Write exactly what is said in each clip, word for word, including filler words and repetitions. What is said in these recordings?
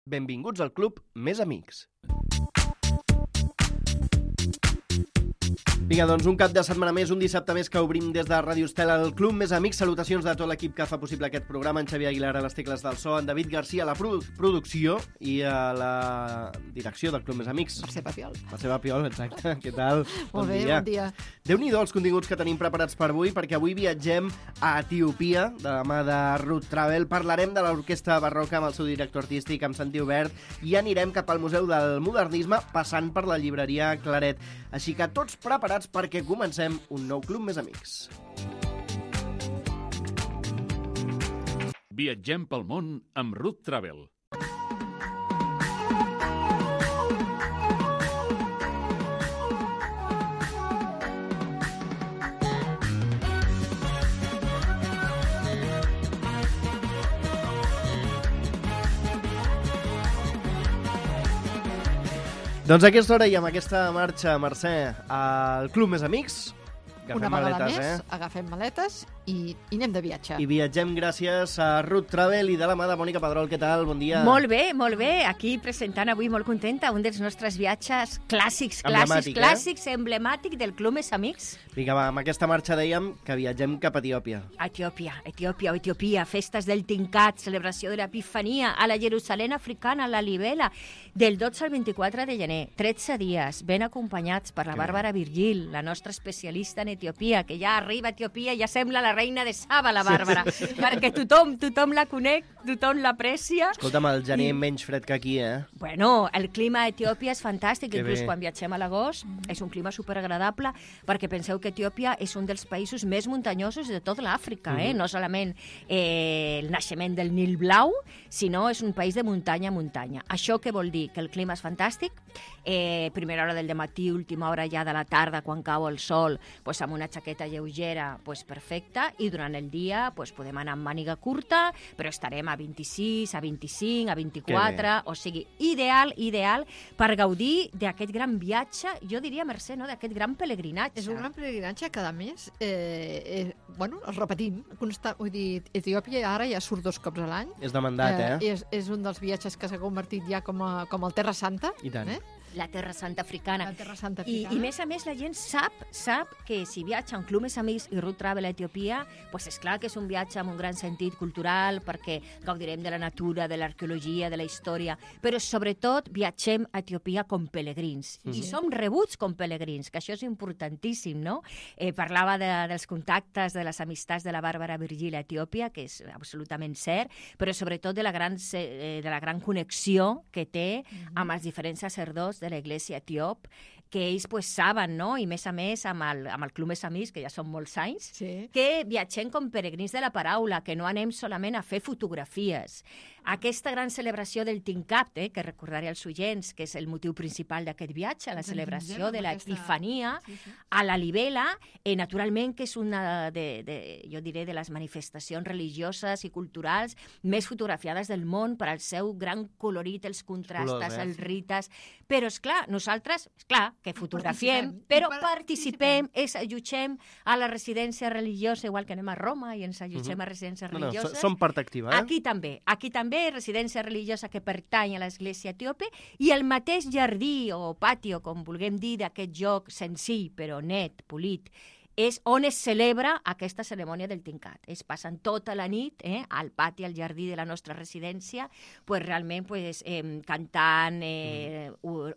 Benvinguts al club Més Amics. Vinga, doncs un cap de setmana més, un dissabte més que obrim des de Ràdio Estel el Club Més Amics. Salutacions de tot l'equip que fa possible aquest programa. En Xavier Aguilar a les tecles del so, en David Garcia a la produ producció i a la direcció del Club Més Amics. Mercè Papiol. Mercè Papiol, exacte. Què tal? Molt bé, bon dia. Déu-n'hi-do els continguts que tenim preparats per avui, perquè avui viatgem a Etiòpia, de la mà de Ruth Travel. Parlarem de l'orquestra barroca amb el seu director artístic, amb Santi Obert, i anirem cap al Museu del Modernisme, passant per la llibreria Claret. Així que tots preparats perquè comencem un nou Club Més Amics. Viatgem pel món amb Ruth Travel. Doncs a aquesta hora i amb aquesta marxa, Mercè, al Club Més Amics, agafem Una vegada maletes, més, eh? agafem maletes i, i anem de viatge. I viatgem gràcies a Ruth Travel i de la mà de Mònica Pedrol. Què tal? Bon dia. Molt bé, molt bé. Aquí presentant avui molt contenta un dels nostres viatges clàssics, clàssics, Emblemàtic, clàssics, eh? emblemàtic del Club Més Amics. Vinga, va, amb aquesta marxa dèiem que viatgem cap a Etiòpia. Etiòpia, Etiòpia, Etiòpia, festes del Tincat, celebració de l'Epifania, a la Jerusalem africana, a la Libela, del dotze al vint-i-quatre de gener, tretze dies, ben acompanyats per la Bàrbara Virgil, la nostra especialista en Etiòpia, que ja arriba a Etiòpia i ja sembla la reina de Saba, la Bàrbara, sí, sí. Perquè tothom, tothom la conec, tothom l'aprecia. Escolta'm, el gener I... menys fred que aquí, eh? Bueno, el clima a Etiòpia és fantàstic, que inclús bé. Quan viatgem a l'agost, és un clima superagradable, perquè penseu que Etiòpia és un dels països més muntanyosos de tota l'Àfrica, eh? Uh-huh. No solament eh, el naixement del Nil Blau, sinó és un país de muntanya a muntanya. Això què vol dir? Que el clima és fantàstic, eh, primera hora del dematí, última hora ja de la tarda, quan cau el sol, pues, amb una jaqueta lleugera, pues, perfecta, i durant el dia pues, podem anar amb màniga curta, però estarem a vint-i-sis, a vint-i-cinc, a vint-i-quatre, o sigui, ideal, ideal, per gaudir d'aquest gran viatge, jo diria, Mercè, no? D'aquest gran pelegrinatge. És un gran pelegrinatge que, a més, eh, eh, bueno, el repetim. Consta, vull dir, Etiòpia ara ja surt dos cops a l'any. És demandat, eh? eh? És, és un dels viatges que s'ha convertit ja com, a, com el Terra Santa. I tant. Eh? La Terra Santa Africana. La Terra Santa I, Africana. I, més a més, la gent sap sap que si viatja en Club Més Amics i Ruth Travel a Etiòpia, pues és clar que és un viatge amb un gran sentit cultural, perquè gaudirem de la natura, de l'arqueologia, de la història, però sobretot viatgem a Etiòpia com pelegrins. Mm-hmm. I som rebuts com pelegrins, que això és importantíssim, no? Eh, parlava de, dels contactes, de les amistats de la Bàrbara Virgil a Etiòpia, que és absolutament cert, però sobretot de la gran, eh, de la gran connexió que té mm-hmm. amb els diferents sacerdots de l'Església etiòp, que ells pues, saben, no? I més a més amb el, amb el Club Més Amics, que ja són molts anys, sí. que viatgem com peregrins de la paraula, que no anem solament a fer fotografies. Aquesta gran celebració del Tincat, eh, que recordaré als oients, que és el motiu principal d'aquest viatge, la celebració de l'Epifania, sí, sí. a la Libela, eh, naturalment que és una, de, de, jo diré, de les manifestacions religioses i culturals més fotografiades del món per al seu gran colorit, els contrastes, Colors, eh? els rites, però, és clar, nosaltres, és clar, que fotografiem, participem. però participem, es allotgem a la residència religiosa, igual que anem a Roma i ens allotgem uh-huh. a residències no, no, religioses. Som part activa, eh? Aquí també, aquí també, residència religiosa que pertany a l'Església etíope, i el mateix jardí o patio, com vulguem dir, d'aquest joc senzill, però net, polit, és on es celebra aquesta cerimònia del Tincat. Es passen tota la nit eh, al pati, al jardí de la nostra residència, pues, realment pues, eh, cantant, eh,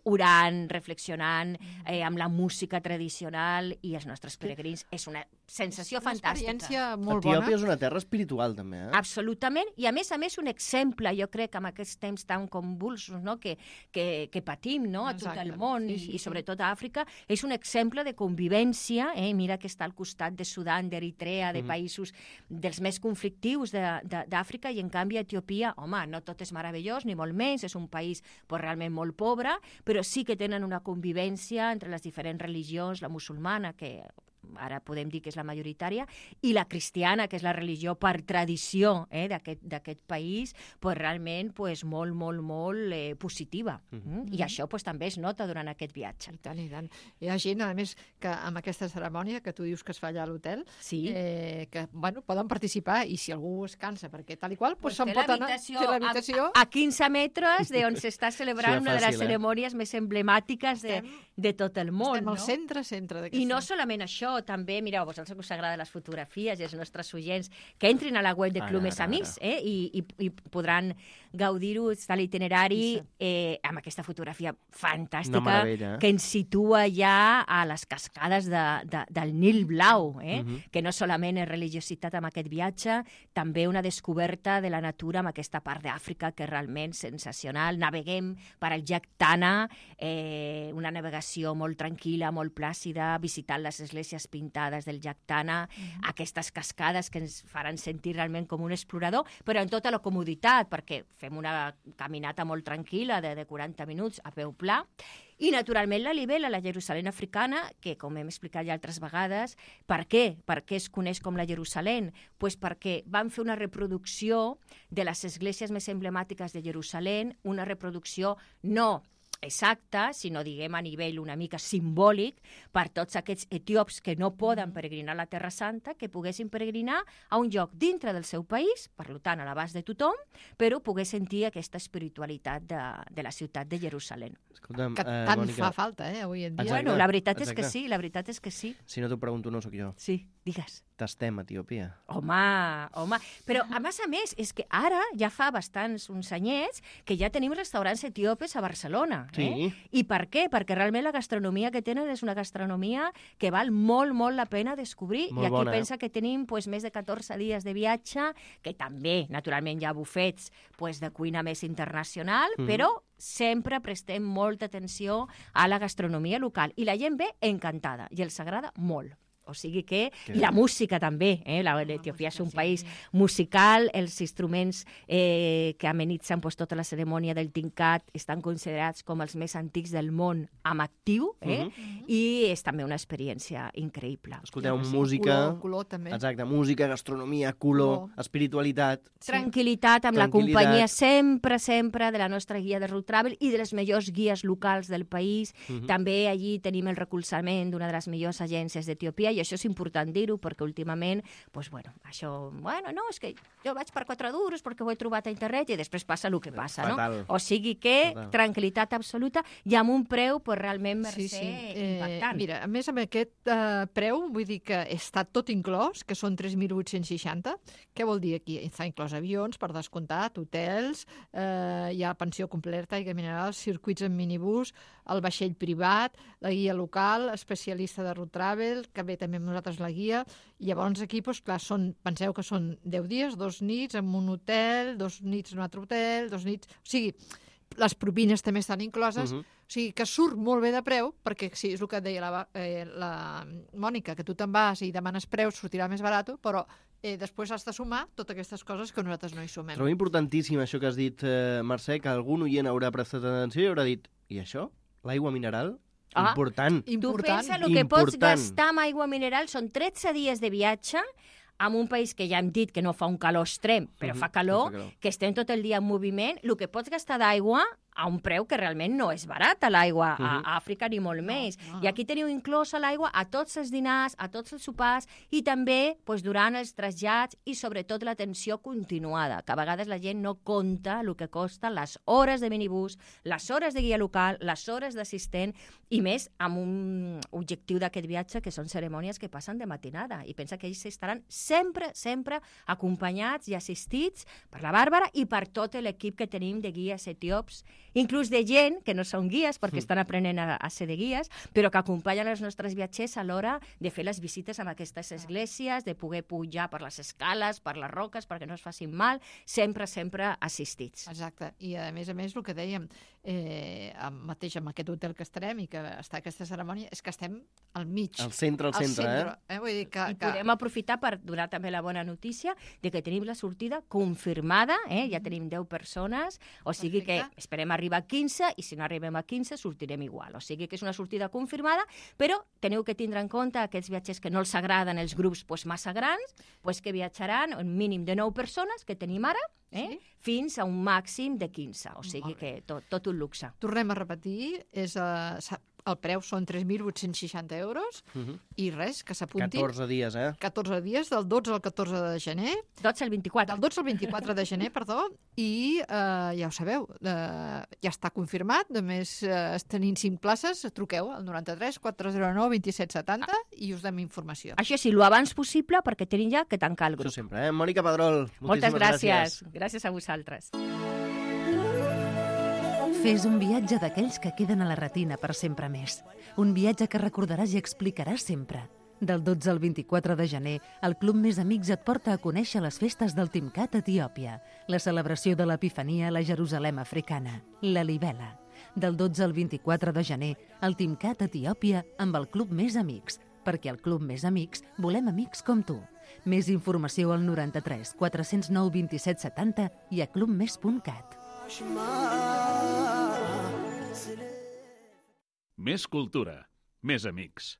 orant, reflexionant, eh, amb la música tradicional i els nostres peregrins. És una sensació una fantàstica. Una experiència molt bona. Etiòpia és una terra espiritual, també, eh? Absolutament, i a més a més un exemple, jo crec, amb aquests temps tan convulsos no? que, que, que patim no? a tot Exacte. el món sí, sí, i, i sí. sobretot a Àfrica, és un exemple de convivència, eh? Mira que està al costat de Sudan, d'Eritrea, de mm. països dels més conflictius d'Àfrica, i en canvi a Etiòpia, home, no tot és meravellós, ni molt menys, és un país pues, realment molt pobre, però sí que tenen una convivència entre les diferents religions, la musulmana, que ara podem dir que és la majoritària, i la cristiana, que és la religió per tradició eh, d'aquest país, pues, realment pues, molt, molt, molt eh, positiva. Mm-hmm. I això pues, també es nota durant aquest viatge. I tant, i tant. Hi ha gent, a més, que amb aquesta cerimònia que tu dius que es fa allà a l'hotel, sí. eh, que bueno, poden participar, i si algú es cansa, perquè tal i qual, pues, pues se'n pot anar a l'habitació. A, a quinze metres d'on s'està celebrant una de les cerimònies eh? més emblemàtiques de, de tot el món. Estem al no? centre, centre d'aquesta. I no solament això, també, mireu, a vosaltres us agrada les fotografies i els nostres oients, que entrin a la web de Club Mes Amics eh, i, i, i podran gaudir-ho de l'itinerari eh, amb aquesta fotografia fantàstica eh? que ens situa ja a les cascades de, de, del Nil Blau, eh? Uh-huh. Que no solament és religiositat amb aquest viatge, també una descoberta de la natura amb aquesta part d'Àfrica que és realment sensacional. Naveguem per al llac Tana, eh, una navegació molt tranquil·la, molt plàcida, visitant les esglésies pintades del llac Tana, uh-huh. Aquestes cascades que ens faran sentir realment com un explorador, però en tota la comoditat, perquè fem una caminata molt tranquil·la de, de quaranta minuts a peu pla. I, naturalment, la Libela, la Jerusalem africana, que, com hem explicat ja altres vegades, per què? Per què es coneix com la Jerusalem? Pues perquè van fer una reproducció de les esglésies més emblemàtiques de Jerusalem, una reproducció no exacta, sinó, diguem, a nivell una mica simbòlic per tots aquests etíops que no poden peregrinar a la Terra Santa, que poguessin peregrinar a un lloc dintre del seu país, per tant, a l'abast de tothom, però pogués sentir aquesta espiritualitat de, de la ciutat de Jerusalem. Escolta'm, que eh, tant Mònica... fa falta, eh, avui en dia. Exacte, bueno, la veritat és exacte. que sí, la veritat és que sí. Si no t'ho pregunto, no sóc jo. Sí, digues. T'estem, Etiòpia. Home, home. Però, a més a més, és que ara ja fa bastants uns anyets que ja tenim restaurants etiòpes a Barcelona. Sí. Eh? I per què? Perquè realment la gastronomia que tenen és una gastronomia que val molt, molt la pena descobrir. Molt I aquí bona, pensa eh? que tenim pues, més de catorze dies de viatge, que també, naturalment, hi ha bufets pues, de cuina més internacional, mm-hmm. però sempre prestem molta atenció a la gastronomia local. I la gent ve encantada, i els agrada molt. O sigui que... que... I la música també, eh? L'Etiòpia és un país musical, els instruments eh, que amenitzen pues, tota la cerimònia del Tincat estan considerats com els més antics del món amb actiu, eh? Uh-huh. I és també una experiència increïble. Escolteu, sí, música... Color, color també. Exacte, música, gastronomia, color, color. espiritualitat... Sí. Tranquil·litat amb Tranquil·litat. La companyia sempre, sempre de la nostra guia de Road Travel i de les millors guies locals del país. Uh-huh. També allí tenim el recolzament d'una de les millors agències d'Etiòpia, i això és important dir-ho, perquè últimament, doncs, bueno, això, bueno, no, és que jo vaig per quatre duros perquè ho he trobat a internet i després passa el que passa, Fatal. no? O sigui que Fatal. Tranquil·litat absoluta i amb un preu, pues, realment mercè sí, sí. impactant. Eh, mira, a més, amb aquest eh, preu, vull dir que està tot inclòs, que són tres mil vuit-cents seixanta. Què vol dir aquí? Està inclòs avions, per descomptat, hotels, eh, hi ha pensió completa, aigua mineral, circuits en minibús, el vaixell privat, la guia local, especialista de Road Travel, que ve també amb nosaltres la guia, i llavors aquí, doncs, clar, són, penseu que són deu dies, dos nits en un hotel, dos nits en un altre hotel, dos nits... O sigui, les propines també estan incloses, uh-huh. O sigui, que surt molt bé de preu, perquè sí, és el que et deia la, eh, la Mònica, que tu te'n vas i demanes preus, sortirà més barat, però eh, després has de sumar totes aquestes coses que nosaltres no hi sumem. Trobo importantíssim això que has dit, eh, Mercè, que algun oient haurà prestat atenció i haurà dit, i això? L'aigua mineral? Ah, important. Tu important. pensa el que pots gastar amb aigua mineral, són tretze dies de viatge en un país que ja hem dit que no fa un calor extrem, però uh-huh, fa calor, fa calor, que estem tot el dia en moviment, el que pots gastar d'aigua a un preu que realment no és barat a l'aigua a uh-huh. Àfrica ni molt no, més. no. I aquí teniu inclosa l'aigua a tots els dinars, a tots els sopars i també pues, durant els trasllats i sobretot l'atenció continuada, que a vegades la gent no compta el que costa les hores de minibús, les hores de guia local, les hores d'assistent i més amb un objectiu d'aquest viatge que són cerimònies que passen de matinada i pensa que ells estaran sempre, sempre acompanyats i assistits per la Bàrbara i per tot l'equip que tenim de guies etíops, inclús de gent que no són guies perquè estan aprenent a, a ser de guies, però que acompanyen els nostres viatgers a l'hora de fer les visites a aquestes esglésies, de poder pujar per les escales, per les roques, perquè no es facin mal, sempre, sempre assistits. Exacte, i a més a més el que dèiem, eh, mateix amb aquest hotel que estarem i que està aquesta cerimònia, és que estem al mig. Al centre, al centre, centre eh? eh? Vull dir que, I que... podem aprofitar per donar també la bona notícia de que tenim la sortida confirmada, eh? Ja tenim deu persones, o sigui Perfecte. que esperem arribar arribar a quinze i si no arribem a quinze sortirem igual. O sigui que és una sortida confirmada, però teniu que tindre en compte aquests viatgers que no els agraden els grups pues, massa grans, pues, que viatjaran un mínim de nou persones que tenim ara, eh? Sí. Fins a un màxim de quinze. O sigui que tot, tot un luxe. Tornem a repetir, és, uh, el preu són tres mil vuit-cents seixanta euros uh -huh. i res, que s'apuntin. catorze dies, eh? catorze dies, del dotze al catorze de gener. dotze al vint-i-quatre. Del dotze al vint-i-quatre de gener, perdó, i uh, ja ho sabeu, uh, ja està confirmat, només uh, tenint cinc places, truqueu al noranta-tres quatre zero nou vint set setanta i us dem informació. Això sí, lo abans possible, perquè tenim ja que tancar el grup. Això sempre, eh? Mònica Pedrol, moltíssimes Moltes gràcies. gràcies. Gràcies a vosaltres. Fes un viatge d'aquells que queden a la retina per sempre més. Un viatge que recordaràs i explicaràs sempre. Del dotze al vint-i-quatre de gener, el Club Més Amics et porta a conèixer les festes del Timcat a Etiòpia, la celebració de l'Epifania a la Jerusalem africana, la Libela. Del dotze al vint-i-quatre de gener, el Timcat a Etiòpia amb el Club Més Amics, perquè al Club Més Amics volem amics com tu. Més informació al noranta-tres quatre zero nou vint set setanta i a clubmes punt cat. Més cultura, més amics.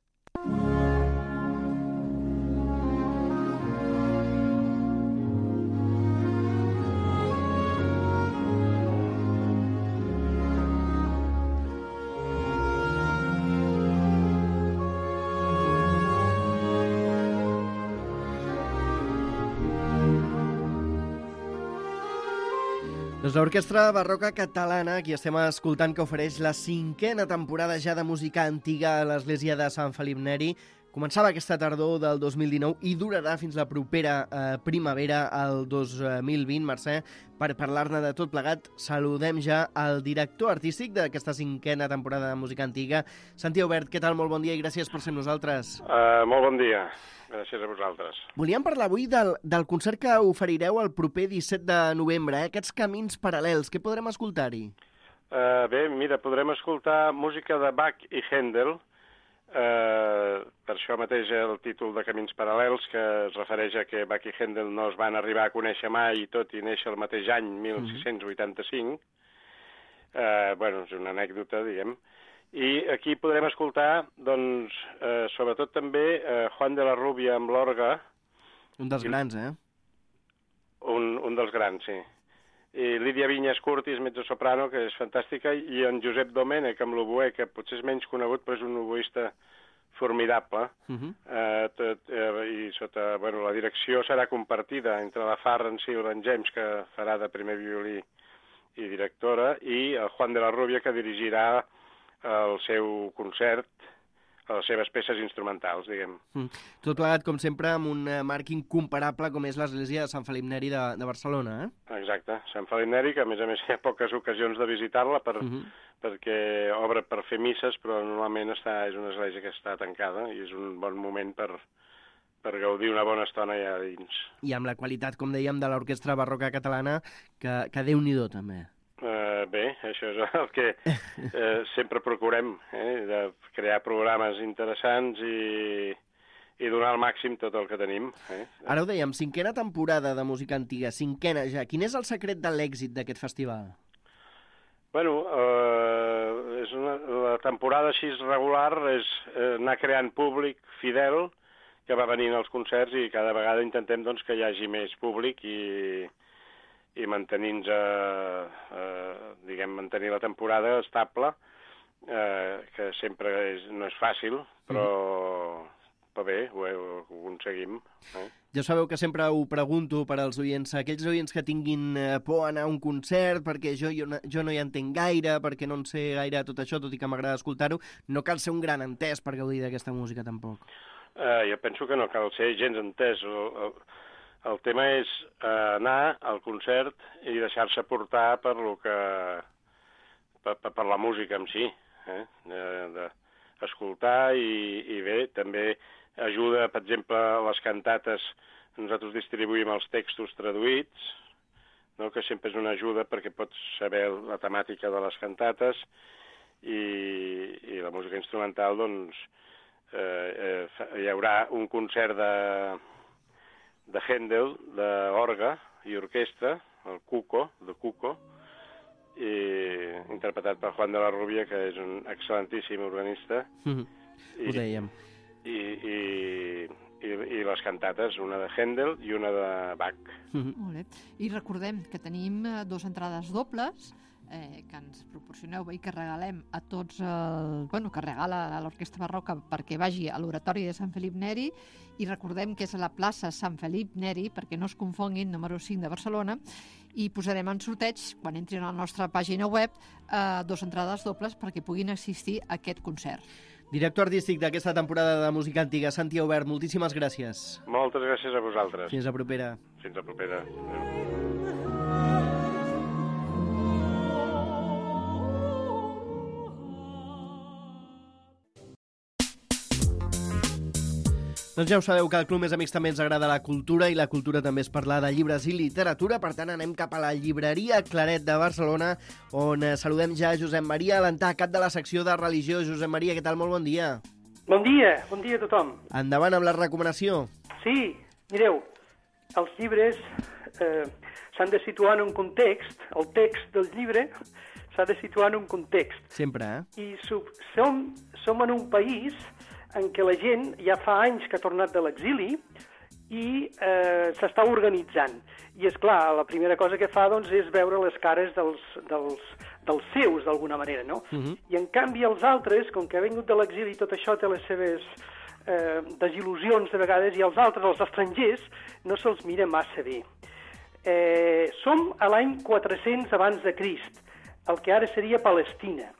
Doncs l'Orquestra Barroca Catalana, qui estem escoltant, que ofereix la cinquena temporada ja de música antiga a l'església de Sant Felip Neri. Començava aquesta tardor del dos mil dinou i durarà fins la propera eh, primavera, el dos mil vint. Mercè, per parlar-ne de tot plegat, saludem ja el director artístic d'aquesta cinquena temporada de música antiga, Santi Aubert. Què tal? Molt bon dia i gràcies per ser amb nosaltres. Uh, molt bon dia. Gràcies a vosaltres. Volíem parlar avui del, del concert que oferireu el proper disset de novembre, eh? Aquests camins paral·lels. Què podrem escoltar-hi? Uh, bé, mira, podrem escoltar música de Bach i Händel. Uh, per això mateix el títol de Camins Paral·lels, que es refereix a que Bach i Händel no es van arribar a conèixer mai, tot i néixer el mateix any, mil sis-cents vuitanta-cinc. Uh, bueno, és una anècdota, diguem. I aquí podrem escoltar, doncs, eh, sobretot també eh, Juan de la Rubia amb l'orgue. Un dels grans, eh? Un, un dels grans, sí. I Lídia Vinyes Curtis, mezzosoprano, que és fantàstica, i en Josep Domènech amb l'oboè, que potser és menys conegut, però és un oboista formidable. Uh -huh. eh, tot, eh, I sota, bueno, la direcció serà compartida entre la Farrance i el James, que farà de primer violí i directora, i el Juan de la Rubia, que dirigirà el seu concert, les seves peces instrumentals, diguem. Mm. Tot plegat, com sempre, amb un marc incomparable com és l'església de Sant Felip Neri de, de Barcelona, eh? Exacte, Sant Felip Neri, que a més a més hi ha poques ocasions de visitar-la per, uh -huh. perquè obre per fer misses, però normalment està, és una església que està tancada i és un bon moment per, per gaudir una bona estona allà dins. I amb la qualitat, com dèiem, de l'Orquestra Barroca Catalana, que, que Déu-n'hi-do, també. Uh, bé, això és el que uh, sempre procurem, eh, de crear programes interessants i, i donar al màxim tot el que tenim. Eh? Ara ho dèiem, cinquena temporada de música antiga, cinquena ja. Quin és el secret de l'èxit d'aquest festival? Bueno, uh, és una, la temporada així regular és uh, anar creant públic fidel que va venint als concerts i cada vegada intentem doncs, que hi hagi més públic i... i mantenint-nos, eh, eh, diguem, mantenir la temporada estable, eh, que sempre és, no és fàcil, però, però bé, ho, ho aconseguim. Eh? Ja sabeu que sempre ho pregunto per als oients, aquells oients que tinguin eh, por a anar a un concert, perquè jo, jo, jo no hi entenc gaire, perquè no en sé gaire tot això, tot i que m'agrada escoltar-ho, no cal ser un gran entès per gaudir d'aquesta música, tampoc. Eh, jo penso que no cal ser gens entès. El, el, El tema és eh, anar al concert i deixar-se portar per lo que per, per la música en si, eh? d'escoltar i, i bé, també ajuda, per exemple, les cantates, nosaltres distribuïm els textos traduïts, no? Que sempre és una ajuda perquè pots saber la temàtica de les cantates i, i la música instrumental, doncs, eh, eh, hi haurà un concert de de Händel, d'orgue i orquestra, el Cuco, de Cuco, i interpretat per Juan de la Rubia, que és un excel·lentíssim organista. Mm-hmm. I, Ho dèiem. I, i, i, i les cantates, una de Händel i una de Bach. Mm-hmm. Molt bé. I recordem que tenim eh, dues entrades dobles eh, que ens proporcioneu i que regalem a tots, el, bueno, que regala a l'Orquestra Barroca perquè vagi a l'Oratori de Sant Felip Neri, i recordem que és a la plaça Sant Felip Neri, perquè no es confonguin, número cinc de Barcelona, i posarem en sorteig, quan entrin a la nostra pàgina web, eh, dues entrades dobles perquè puguin assistir a aquest concert. Director artístic d'aquesta temporada de música antiga, Santi Aubert, moltíssimes gràcies. Moltes gràcies a vosaltres. Fins la propera. Fins la propera. Adéu. Doncs ja ho sabeu que al Club Més Amics també ens agrada la cultura, i la cultura també és parlar de llibres i literatura. Per tant, anem cap a la llibreria Claret de Barcelona, on saludem ja Josep Maria Alentà, cap de la secció de religió. Josep Maria, què tal? Molt bon dia. Bon dia, bon dia a tothom. Endavant amb la recomanació. Sí, mireu, els llibres eh, s'han de situar en un context, el text del llibre s'ha de situar en un context. Sempre, eh? I som, som en un país en què la gent ja fa anys que ha tornat de l'exili i eh, s'està organitzant. I, és clar, la primera cosa que fa doncs, és veure les cares dels, dels, dels seus, d'alguna manera, no? Uh-huh. I, en canvi, els altres, com que ha vingut de l'exili, tot això té les seves eh, desil·lusions de vegades, i els altres, els estrangers, no se'ls mira massa bé. Eh, som a l'any quatre-cents abans de Crist, el que ara seria Palestina.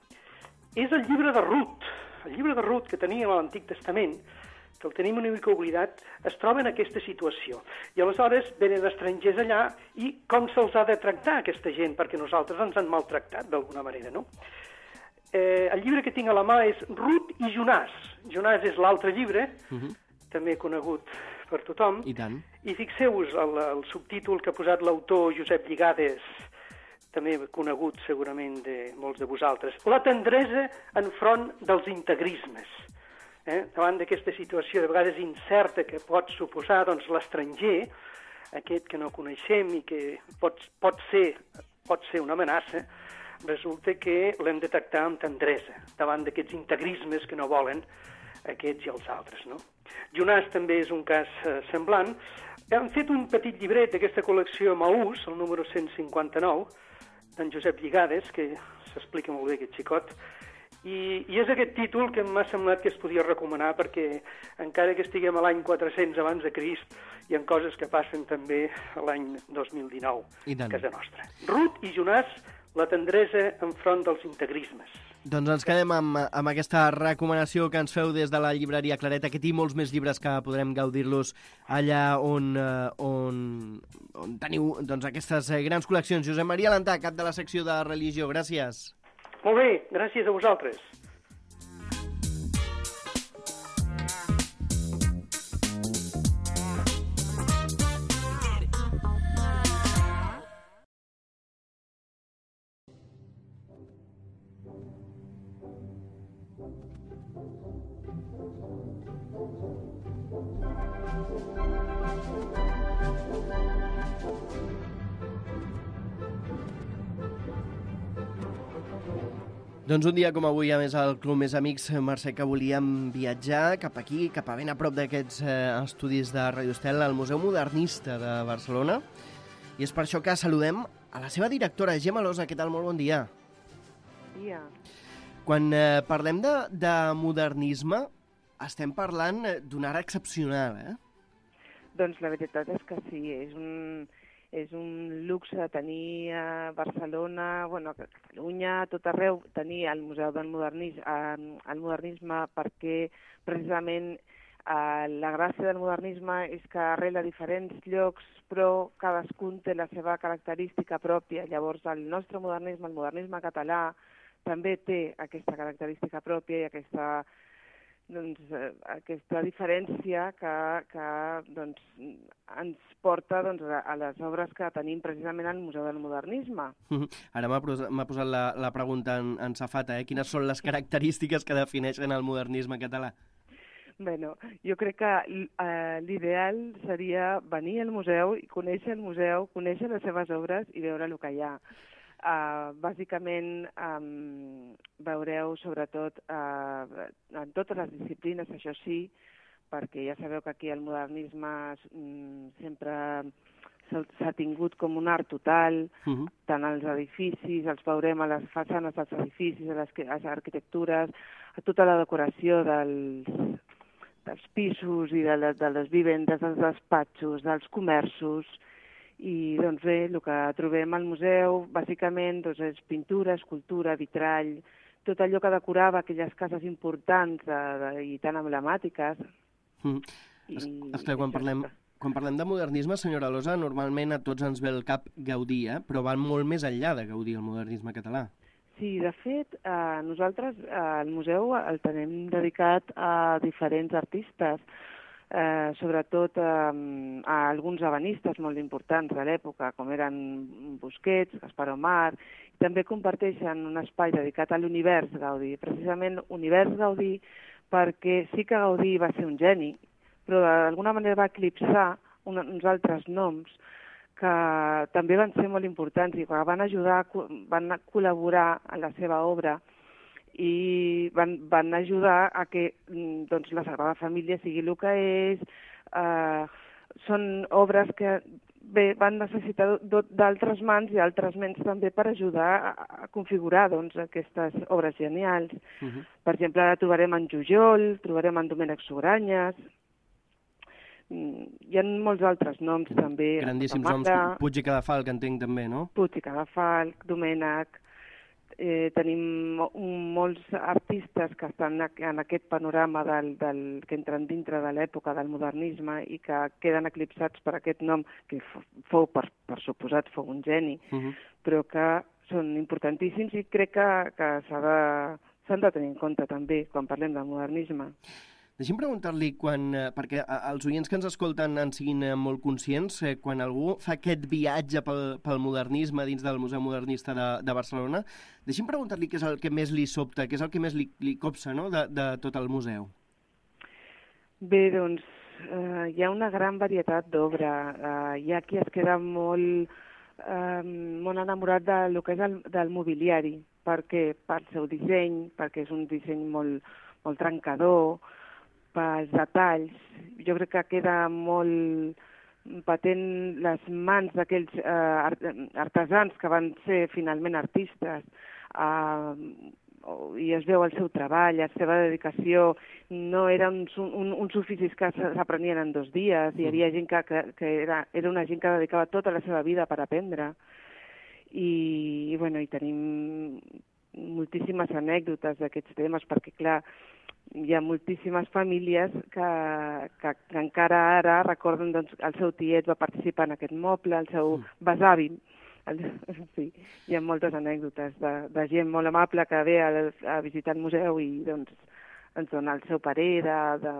És el llibre de Rut. El llibre de Rut que teníem a l'Antic Testament, que el tenim una mica oblidat, es troba en aquesta situació. I aleshores venen estrangers allà, i com se'ls ha de tractar aquesta gent? Perquè nosaltres ens han maltractat d'alguna manera, no? Eh, el llibre que tinc a la mà és Rut i Jonàs. Jonàs és l'altre llibre, uh-huh. també conegut per tothom. I tant. I fixeu-vos el, el subtítol que ha posat l'autor Josep Lligades, també conegut segurament de molts de vosaltres. La tendresa enfront dels integrismes. Eh? Davant d'aquesta situació de vegades incerta que pot suposar doncs, l'estranger, aquest que no coneixem i que pot, pot, ser, pot ser una amenaça, resulta que l'hem de tractar amb tendresa davant d'aquests integrismes que no volen aquests i els altres. No? Jonàs també és un cas eh, semblant. Hem fet un petit llibret d'aquesta col·lecció Maús, el número cent cinquanta-nou, d'en Josep Lligades, que s'explica molt bé aquest xicot, i, i és aquest títol que m'ha semblat que es podia recomanar perquè encara que estiguem a l'any quatre-cents abans de Crist, hi ha coses que passen també a l'any dos mil dinou a casa nostra. Rut i Jonàs, la tendresa enfront dels integrismes. Doncs ens quedem amb, amb aquesta recomanació que ens feu des de la llibreria Claret, aquest i molts més llibres que podrem gaudir-los allà on, on, on teniu doncs, aquestes grans col·leccions. Josep Maria Alentà, cap de la secció de religió, gràcies. Molt bé, gràcies a vosaltres. Doncs un dia com avui, a més, al Club Més Amics, Mercè, que volíem viatjar cap aquí, cap a ben a prop d'aquests eh, estudis de Radio Estel, al Museu Modernista de Barcelona. I és per això que saludem a la seva directora, Gemma Losa. Què tal? Molt bon dia. Bon dia. Quan eh, parlem de, de modernisme, estem parlant d'una ara excepcional, eh? Doncs la veritat és que sí, és un... És un luxe tenir a Barcelona, bueno, a Catalunya, a tot arreu, tenir el Museu del Modernisme, el modernisme perquè precisament eh, la gràcia del modernisme és que arrela diferents llocs, però cadascun té la seva característica pròpia. Llavors el nostre modernisme, el modernisme català, també té aquesta característica pròpia i aquesta... Doncs, eh, aquesta diferència que, que doncs, ens porta doncs, a, a les obres que tenim precisament al Museu del Modernisme. Ara m'ha posat la, la pregunta en, en safata, eh? Quines són les característiques que defineixen el modernisme català? Bueno, jo crec que eh, l'ideal seria venir al museu i conèixer el museu, conèixer les seves obres i veure el que hi ha. Uh, bàsicament um, veureu sobretot uh, en totes les disciplines, això sí, perquè ja sabeu que aquí el modernisme um, sempre s'ha tingut com un art total, uh-huh. tant als edificis, els veurem a les façanes dels edificis, a les, a les arquitectures, a tota la decoració dels, dels pisos i de, de les vivendes, dels despatxos, dels comerços. I doncs bé, el que trobem al museu bàsicament doncs, és pintura, escultura, vitrall, tot allò que decorava aquelles cases importants de, de, i tan emblemàtiques. Mm. I, es, esclar, quan parlem, quan parlem de modernisme, senyora Alosa, normalment a tots ens ve el cap Gaudí, eh? Però va molt més enllà de Gaudí, el modernisme català. Sí, de fet, eh, nosaltres eh, al museu el tenim dedicat a diferents artistes, Eh, sobretot eh, a alguns ebenistes molt importants de l'època, com eren Busquets, Gaspar Omar, i també comparteixen un espai dedicat a l'univers Gaudí, precisament univers Gaudí, perquè sí que Gaudí va ser un geni, però d'alguna manera va eclipsar un, uns altres noms que també van ser molt importants i que van ajudar, van col·laborar en la seva obra i van, van ajudar a que doncs, la Sagrada Família sigui el que és. Eh, són obres que bé, van necessitar d'altres mans i altres ments també per ajudar a, a configurar doncs, aquestes obres genials. Uh-huh. Per exemple, ara trobarem en Jujol, trobarem en Domènec Sugranyes, hi ha molts altres noms també. Grandíssims noms, Puig i Cadafalc, entenc també, no? Puig i Cadafalc, Domènec. Eh, tenim molts artistes que estan en aquest panorama del, del, que entren dintre de l'època del modernisme i que queden eclipsats per aquest nom, que fou, per, per suposat, fou un geni, uh-huh. però que són importantíssims i crec que, que s'ha de, s'han de tenir en compte també quan parlem del modernisme. Deixi'm preguntar-li, quan, perquè els oients que ens escolten en siguin molt conscients, quan algú fa aquest viatge pel, pel modernisme dins del Museu Modernista de, de Barcelona, deixi'm preguntar-li què és el que més li sobta, què és el que més li, li copsa, no?, de, de tot el museu. Bé, doncs, eh, hi ha una gran varietat d'obra. Eh, hi ha qui es queda molt, eh, molt enamorat del que és el, del mobiliari, perquè pel seu disseny, perquè és un disseny molt, molt trencador, pels detalls. Jo crec que queda molt patent les mans d'aquells eh, artesans que van ser finalment artistes, eh, i es veu el seu treball, la seva dedicació. No eren uns, un, uns oficis que s'aprenien en dos dies, hi havia gent que, que, que era, era una gent que dedicava tota la seva vida per aprendre. I, i, bueno, i tenim moltíssimes anècdotes d'aquests temes, perquè, clar, hi ha moltíssimes famílies que, que, que encara ara recorden doncs, el seu tiet va participar en aquest moble, el seu besavi. El, sí, hi ha moltes anècdotes de, de gent molt amable que ve a, a visitar el museu i doncs, ens dona el seu parer de, de,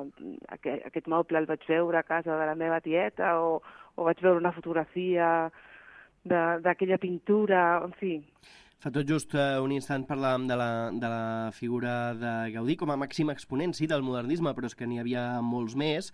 aquest, aquest moble el vaig veure a casa de la meva tieta o, o vaig veure una fotografia d'aquella pintura, en fi. Fa tot just uh, un instant parlàvem de la, de la figura de Gaudí com a màxim exponent, sí, del modernisme, però és que n'hi havia molts més.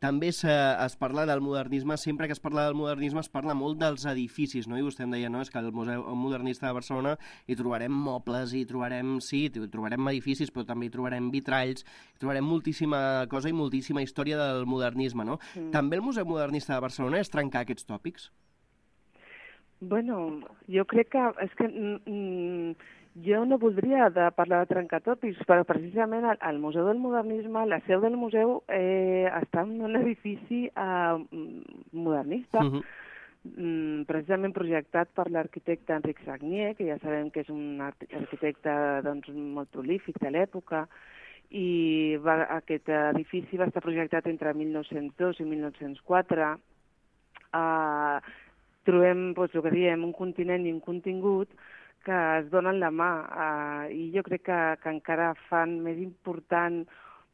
També es, es parla del modernisme, sempre que es parla del modernisme es parla molt dels edificis, no? I vostè em deia, no?, és que al Museu Modernista de Barcelona hi trobarem mobles, hi trobarem, sí, hi trobarem edificis, però també hi trobarem vitralls, hi trobarem moltíssima cosa i moltíssima història del modernisme, no? Mm. També el Museu Modernista de Barcelona és trencar aquests tòpics? Bueno, jo crec que és que mm, jo no voldria de parlar de trencar tòpics, però precisament al, al Museu del Modernisme, la seu del museu eh, està en un edifici eh, modernista, uh-huh. mm, precisament projectat per l'arquitecte Enric Sagnier, que ja sabem que és un arquitecte doncs, molt prolífic de l'època, i va, aquest edifici va estar projectat entre mil nou-cents dos i mil nou-cents quatre. Eh, trobem, doncs, el que diem, un continent i un contingut que es donen la mà eh, i jo crec que, que encara fan més important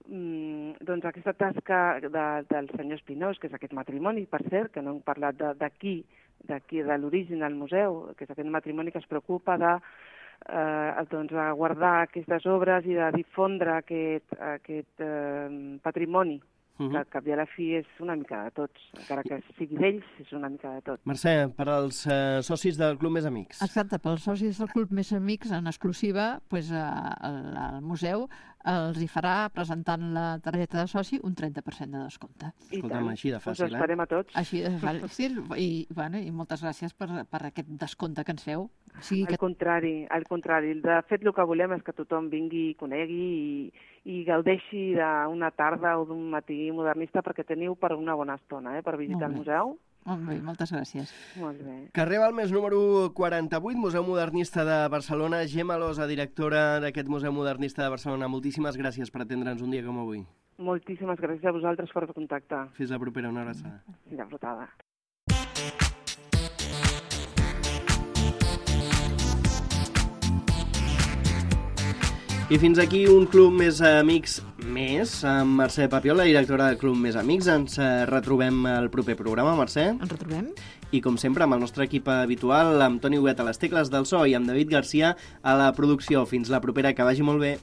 mm, doncs aquesta tasca de, del senyor Espinós, que és aquest matrimoni, per cert, que no hem parlat d'aquí, d'aquí, de l'origen del museu, que és aquest matrimoni que es preocupa de eh, doncs, guardar aquestes obres i de difondre aquest, aquest eh, patrimoni Uh -huh. que al cap i a la fi és una mica de tots, encara que sigui d'ells, és una mica de tot. Mercè, per als eh, socis del Club Més Amics. Exacte, pels socis del Club Més Amics, en exclusiva, pues, eh, el, el museu els hi farà, presentant la targeta de soci, un trenta per cent de descompte. Escolta'm, així de fàcil, eh? Us esperem a tots. Així de fàcil, i, bueno, i moltes gràcies per, per aquest descompte que ens feu. O sigui al que... contrari, al contrari. De fet, el que volem és que tothom vingui i conegui i, i gaudeixi d'una tarda o d'un matí modernista, perquè teniu per una bona estona, eh, per visitar el museu. Molt bé, moltes gràcies. Molt bé. Carrer Balmes número quaranta-vuit, Museu Modernista de Barcelona. Gemma Losa, directora d'aquest Museu Modernista de Barcelona. Moltíssimes gràcies per atendre'ns un dia com avui. Moltíssimes gràcies a vosaltres per contactar. Fins la propera, una abraçada. Fins la propera. I fins aquí un Club Més Amics més, amb Mercè Papiol, la directora del Club Més Amics. Ens retrobem al proper programa, Mercè. Ens retrobem. I com sempre, amb el nostre equip habitual, amb Toni Huguet a les tecles del so i amb David Garcia a la producció. Fins la propera, que vagi molt bé.